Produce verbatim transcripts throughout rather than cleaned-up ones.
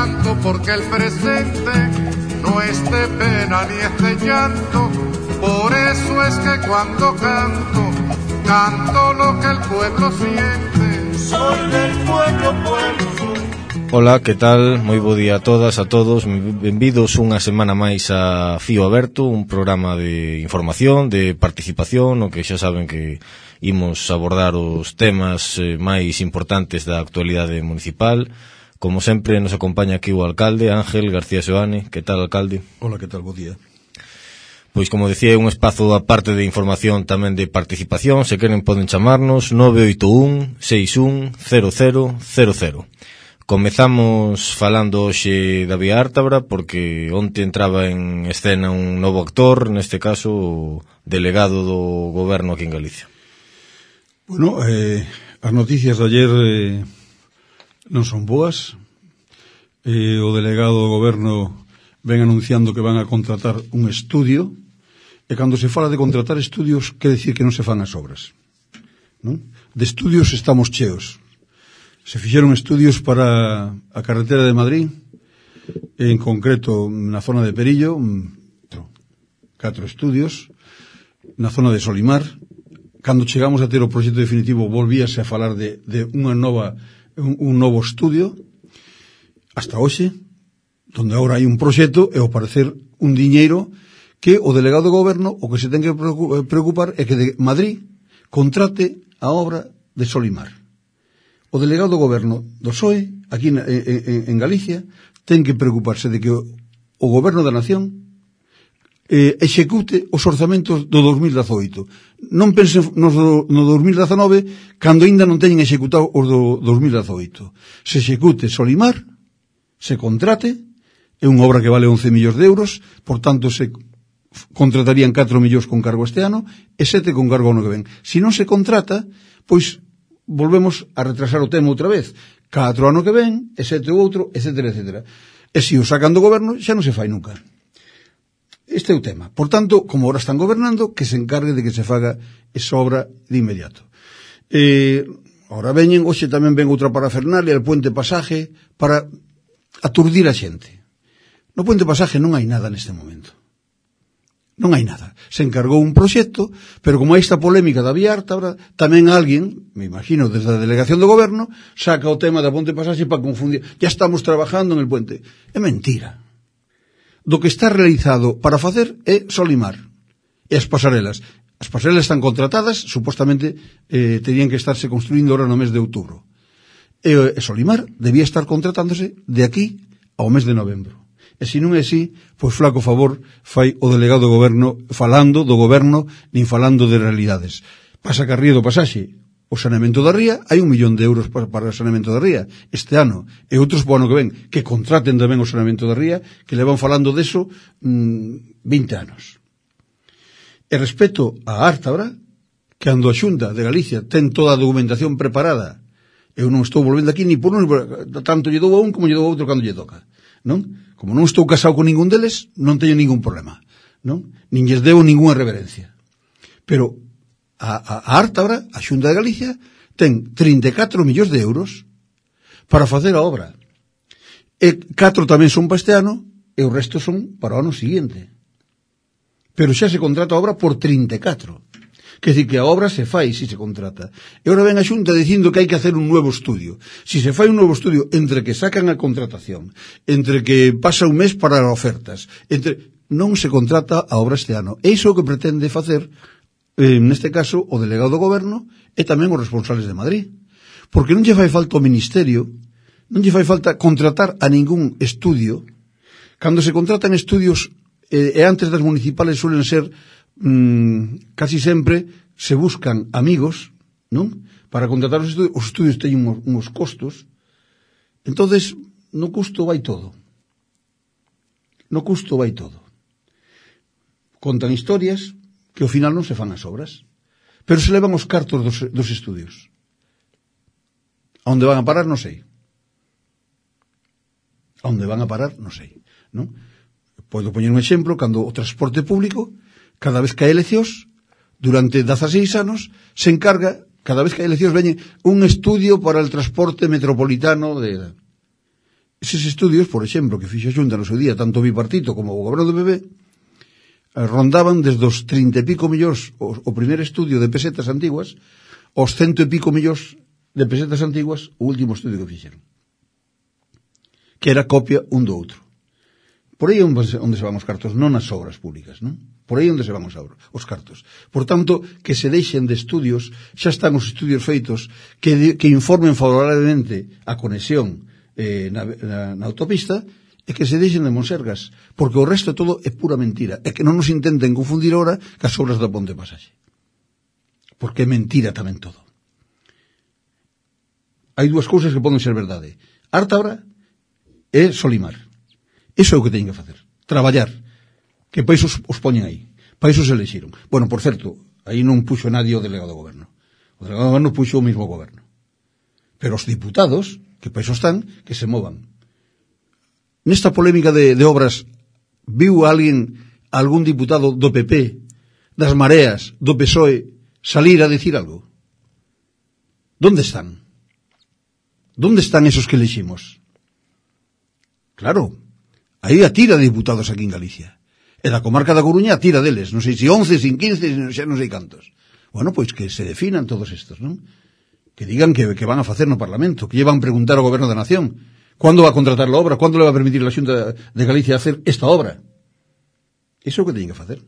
canto porque el presente no es de pena ni es de llanto. Por eso es que cuando canto, canto lo que el pueblo siente. Soy del pueblo, pueblo soy. Ola, que tal? Moi bo día a todas, a todos. Benvidos unha semana máis a Fío Aberto, un programa de información, de participación, no que xa saben que imos abordar os temas eh, máis importantes da actualidade municipal. Como sempre, nos acompaña aquí o alcalde, Ángel García Seoane. Que tal, alcalde? Ola, que tal? Bo día. Pois, como decía, é un espazo aparte de información tamén de participación. Se queren poden chamarnos nove oito un, seis un, cero cero cero cero. Comezamos falando hoxe da Vía Ártabra porque onte entraba en escena un novo actor, neste caso o delegado do goberno aquí en Galicia. Bueno, eh, as noticias de ayer eh, non son boas. Eh, o delegado do goberno ven anunciando que van a contratar un estudio, e cando se fala de contratar estudios quere decir que non se fan as obras, non? De estudios estamos cheos. Se fixeron estudios para a carretera de Madrid, en concreto na zona de Perillo, catro estudios, na zona de Solimar. Cando chegamos a ter o proxecto definitivo volvíase a falar de, de unha nova, un, un novo estudio, hasta hoxe, donde agora hai un proxecto e ao parecer un diñeiro que o delegado do goberno o que se ten que preocupar é que de Madrid contrate a obra de Solimar. O delegado do goberno do P S O E, aquí en, en, en Galicia, ten que preocuparse de que o, o goberno da nación eh, execute os orzamentos do dos mil dezoito. Non pensen no, no dos mil dezanove, cando ainda non teñen executado os do dos mil dezoito. Se execute Solimar, se contrate, é unha obra que vale once millóns de euros, por tanto se contratarían catro millóns con cargo este ano e sete con cargo ano que ven. Se non se contrata, pois volvemos a retrasar o tema outra vez, catro ano que ven e sete o outro, etcétera, etcétera. E se o sacan do goberno xa non se fai nunca. Este é o tema. Por tanto, como ahora están gobernando, que se encargue de que se faga esa obra de inmediato. Eh, ahora veñen, hoxe tamén ven outra parafernalia, el puente pasaje, para aturdir a xente. No puente pasaje non hai nada neste momento. Non hai nada. Se encargou un proxecto, pero como hai esta polémica da Vía Ártabra, tamén alguén, me imagino, desde a delegación do goberno, saca o tema da ponte pasaxe para confundir. Ya estamos trabajando en el puente. É mentira. Do que está realizado para facer é Solimar. E as pasarelas. As pasarelas están contratadas, supostamente eh, terían que estarse construindo ahora no mes de outubro. E, e Solimar debía estar contratándose de aquí ao mes de novembro. E se non é así, pois flaco favor fai o delegado do goberno falando do goberno nin falando de realidades. Pasa que a ría do pasaxe, o saneamento da ría, hai un millón de euros para, para o saneamento da ría este ano, e outros po ano que ven, que contraten tamén o saneamento da ría, que le van falando deso mmm, vinte anos. E respecto a Ártabra, que ando a Xunta de Galicia ten toda a documentación preparada, eu non estou volvendo aquí ni por un, tanto lle dou a un como lle dou a outro cando lle toca, non? Como non estou casado con ningún deles, non teño ningún problema, non? Nin lles debo ninguna reverencia. Pero a, a, a Ártabra, a Xunta de Galicia, ten trinta e catro millóns de euros para facer a obra. E catro tamén son para este ano, e o resto son para o ano siguiente. Pero xa se contrata a obra por trinta e catro. Quer dizer que a obra se fai se se contrata. E agora ven a Xunta dicindo que hai que hacer un nuevo estudio. Si se fai un nuevo estudio entre que sacan a contratación, entre que pasa un mes para as ofertas, entre non se contrata a obra este ano. E iso é o que pretende facer, eh, neste caso, o delegado do goberno e tamén os responsables de Madrid. Porque non lle fai falta o ministerio, non lle fai falta contratar a ningún estudio. Cando se contratan estudios, eh, e antes das municipales suelen ser Mm, casi sempre se buscan amigos, non? Para contratar os estudios, os estudios teñen uns, uns costos. Entonces, no custo vai todo. No custo vai todo. Contan historias que ao final non se fan as obras, pero se levan os cartos dos, dos estudios. A onde van a parar, non sei. A onde van a parar, non sei, non? Podo poñer un exemplo, cando o transporte público, cada vez que hai eleccións, durante dezaseis anos, se encarga, cada vez que hai eleccións, veñe un estudio para el transporte metropolitano de... Eses estudios, por exemplo, que fixo a Xunta no seu día, tanto o bipartito como o goberno do P P, rondaban desde os trinta e pico millóns o, o primeiro estudio de pesetas antiguas aos cento e pico millóns de pesetas antiguas o último estudio que fixeron, que era copia un do outro. Por aí é onde se van os cartos, non nas obras públicas, non? Por aí onde se van os, os cartos. Por tanto, que se deixen de estudios, xa están os estudios feitos que, de, que informen favorablemente a conexión eh, na, na, na autopista, e que se deixen de monsergas, porque o resto todo é pura mentira, e que non nos intenten confundir ahora cas obras da Ponte Pasaxe, porque é mentira tamén todo. Hai dúas cousas que poden ser verdade: Ártabra e Solimar. Iso é o que teñen que facer, traballar, que para iso os, os poñen aí, para iso se elexiron. Bueno, por certo, aí non puxo nadie o delegado do goberno, o delegado do goberno puxo o mismo goberno, pero os diputados, que para iso están, que se movan. Nesta polémica de, de obras, viu alguén, algún diputado do P P, das Mareas, do P S O E, salir a decir algo? ¿Dónde están? ¿Dónde están esos que eleximos? Claro, aí a tira de diputados aquí en Galicia. E da comarca da Coruña a tira deles, non sei se once, sin quince, xa non sei cantos. Bueno, pois que se definan todos estos, non? Que digan que, que van a facer no Parlamento, que llevan a preguntar ao Goberno da Nación. ¿Cuándo va a contratar la obra? ¿Cuándo le va a permitir a la Xunta de Galicia hacer esta obra? Iso é o que teñen que facer.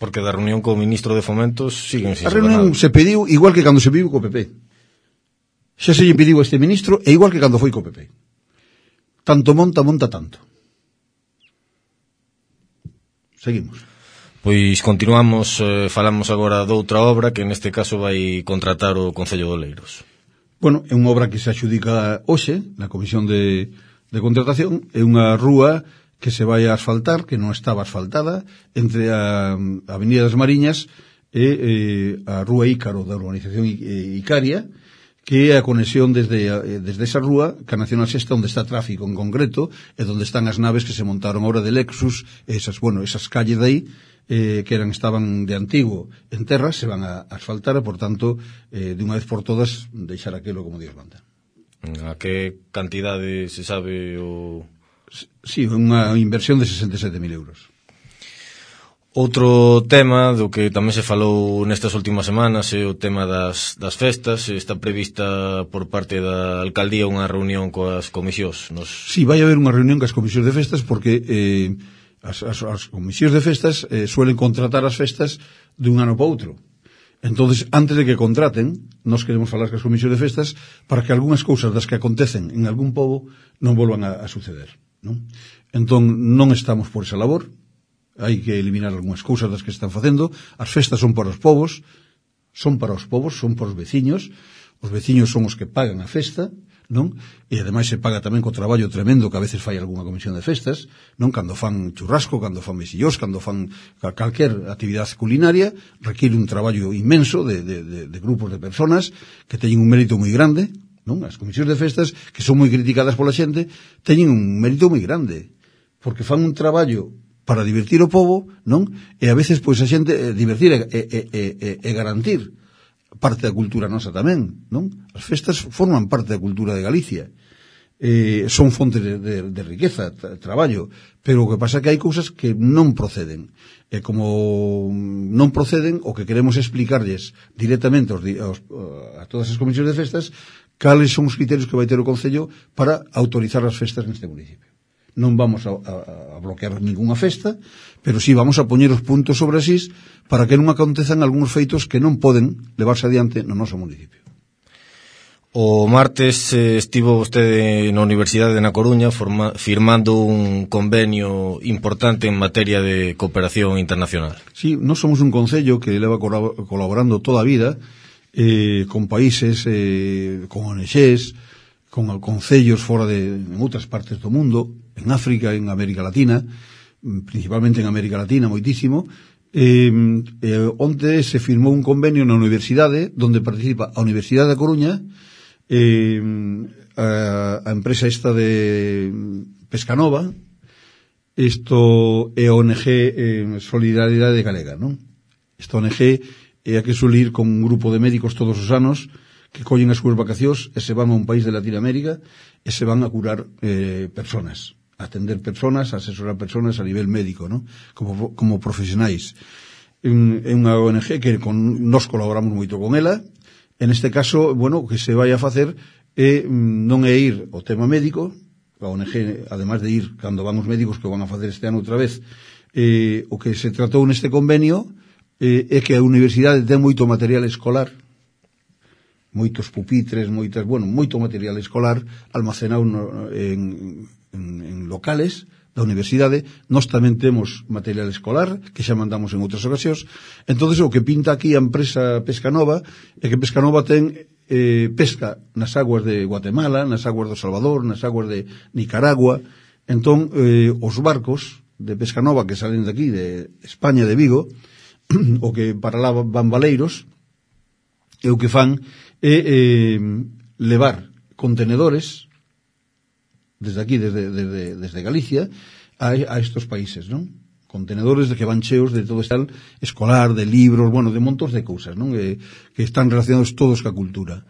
Porque da reunión co ministro de Fomentos siguen sin a reunión nada. Se pediu igual que cando se pediu co P P. Xa se lle pediu a este ministro e igual que cando foi co P P. Tanto monta, monta tanto. Seguimos. Pois continuamos, eh, falamos agora doutra obra que neste caso vai contratar o Concello de Oleiros. Bueno, é unha obra que se adxudica hoxe na Comisión de, de Contratación. É unha rúa que se vai a asfaltar, que non estaba asfaltada, entre a, a Avenida das Mariñas e eh, a Rúa Ícaro da urbanización Icaria, que é a conexión desde, desde esa rúa, que a Nacional Sexta, onde está tráfico en concreto, e onde están as naves que se montaron ahora de Lexus, esas, bueno, esas calles de aí, eh, que eran estaban de antigo en terra, se van a asfaltar e, por tanto, eh, de unha vez por todas, deixar aquilo como Dios manda. A que cantidade se sabe o... Sí, unha inversión de sesenta e sete mil euros. Outro tema do que tamén se falou nestas últimas semanas é o tema das, das festas. Está prevista por parte da alcaldía unha reunión coas comisións. Nos... Sí, vai haber unha reunión coas comisións de festas porque eh, as, as, as comisións de festas eh, suelen contratar as festas de un ano para outro. Entonces, antes de que contraten, nós queremos falar coas comisións de festas para que algunhas cousas das que acontecen en algún pobo non volvan a, a suceder, non? Entón, non estamos por esa labor. Hai que eliminar algunhas cousas das que están facendo. As festas son para os povos, son para os povos, son para os veciños. Os veciños son os que pagan a festa, non? E ademais se paga tamén co traballo tremendo que a veces fai algunha comisión de festas, non? Cando fan churrasco, cando fan mesillós, cando fan calquer actividade culinaria, requiere un traballo inmenso de, de, de, de grupos de personas que teñen un mérito moi grande, non? As comisións de festas, que son moi criticadas pola xente, teñen un mérito moi grande, porque fan un traballo para divertir o povo, non? E a veces, pois, a xente eh, divertir e, e, e, e, e garantir parte da cultura nosa tamén, non? As festas forman parte da cultura de Galicia. Eh, son fontes de, de, de riqueza, tra, traballo, pero o que pasa é que hai cousas que non proceden. E como non proceden, o que queremos explicarlles directamente aos, aos, a todas as comisións de festas cales son os criterios que vai ter o Concello para autorizar as festas neste municipio. Non vamos a, a, a bloquear ninguna festa, pero sí vamos a poñer os puntos sobre as is para que non acontezan algúns feitos que non poden levarse adiante no noso municipio. O martes eh, estivo vostede na Universidade de Na Coruña forma, firmando un convenio importante en materia de cooperación internacional. Sí, nós somos un concello que leva colaborando toda a vida eh, con países, eh, con O N Gs, con concellos fora de en outras partes do mundo, en África, en América Latina, principalmente en América Latina, moitísimo. Eh, eh, onte se firmou un convenio na universidade onde participa a Universidade da Coruña, eh, a, a empresa esta de Pescanova, isto é a O N G eh, Solidaridade Galega, non? Esta O N G é a que suele ir con un grupo de médicos todos os anos que collen as súas vacacións e se van a un país de Latinoamérica e se van a curar eh, personas, a atender personas, a asesorar personas a nivel médico, ¿no? como, como profesionais. É unha O N G que con, nos colaboramos moito con ela. En este caso, bueno, o que se vai a facer é non é ir ao tema médico. A O N G, además de ir cando van os médicos que van a facer este ano outra vez, eh, o que se tratou neste convenio eh, é que a universidade ten moito material escolar, moitos pupitres, moitas, bueno, moito material escolar almacenado no, en, en, en locales da universidade. Nós tamén temos material escolar que xa mandamos en outras ocasións. Entonces o que pinta aquí a empresa Pescanova é que Pescanova ten eh, pesca nas aguas de Guatemala, nas aguas do Salvador, nas aguas de Nicaragua. Entón eh, os barcos de Pescanova que salen de aquí, de España, de Vigo, o que para lá van baleiros, e o que fan é eh, levar contenedores desde aquí, desde, desde, desde Galicia, a, a estos países, non? Contenedores de que van cheos de todo este escolar, de libros, bueno, de montos de cousas, non? Que, que están relacionados todos ca cultura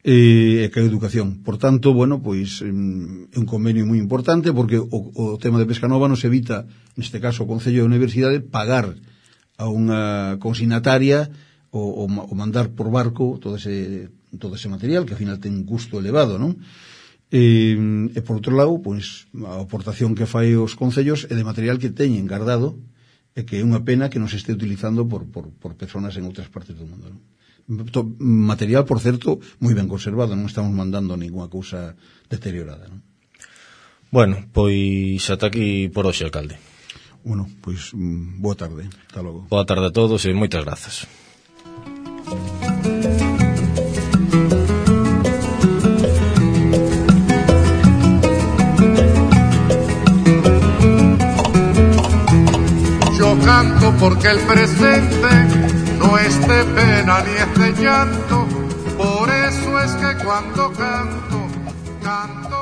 e eh, ca educación. Por tanto, bueno, pois é un convenio moi importante porque o, o tema de Pescanova nos evita, neste caso o Concello de Universidade, pagar a unha consignataria o, o, o mandar por barco todo ese, todo ese material que ao final ten un custo elevado, non? E, e por outro lado, pois, a aportación que fai os concellos é de material que teñen guardado e que é unha pena que non se este utilizando por, por, por personas en outras partes do mundo, non? Material, por certo, moi ben conservado, non estamos mandando ninguna cousa deteriorada, non? Bueno, pois ata aquí por hoxe, alcalde. Bueno, pois boa tarde, ata logo. Boa tarde a todos e moitas grazas. Canto porque el presente no es de pena ni es de llanto, por eso es que cuando canto, canto